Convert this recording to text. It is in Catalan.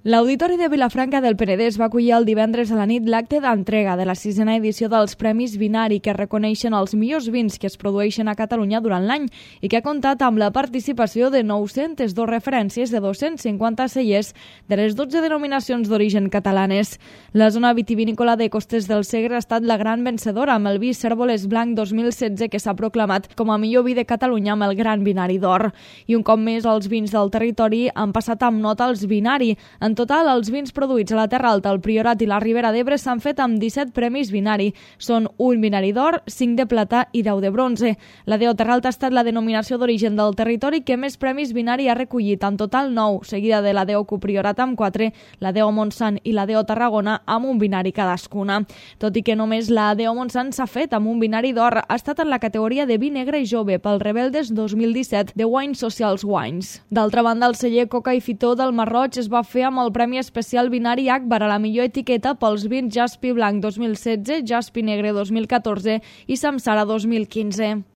L'Auditori de Vilafranca del Penedès va acollir el divendres a la nit l'acte d'entrega de la 6a edició dels Premis Vinari, que reconeixen els millors vins que es produeixen a Catalunya durant l'any i que ha comptat amb la participació de 902 referències de 250 cellers de les 12 denominacions d'origen catalanes. La zona vitivinícola de Costes del Segre ha estat la gran vencedora amb el vi Cérvoles Blanc 2016, que s'ha proclamat com a millor vi de Catalunya amb el Gran Vinari d'Or. I un cop més els vins del territori han passat amb nota als Vinari. En total, els vins produïts a la Terra Alta, el Priorat i la Ribera d'Ebre s'han fet amb 17 premis Vinari. Són un Vinari d'Or, 5 de plata i 10 de bronze. La DO Terra Alta ha estat la denominació d'origen del territori que més premis Vinari ha recollit, en total 9, seguida de la DO Priorat amb 4, la DO Montsant i la DO Tarragona amb un Vinari cadascuna. Tot i que només la DO Montsant s'ha fet amb un Vinari d'Or, ha estat en la categoria de vi negre i jove pel Rebeldes 2017 de Wine Socials Wines. D'altra banda, el celler Coca i Fitó del Marroig es va fer amb el Premi Especial Vinari Akbar a la millor etiqueta pels vins Jaspi Blanc 2016, Jaspi Negre 2014 i Samsara 2015.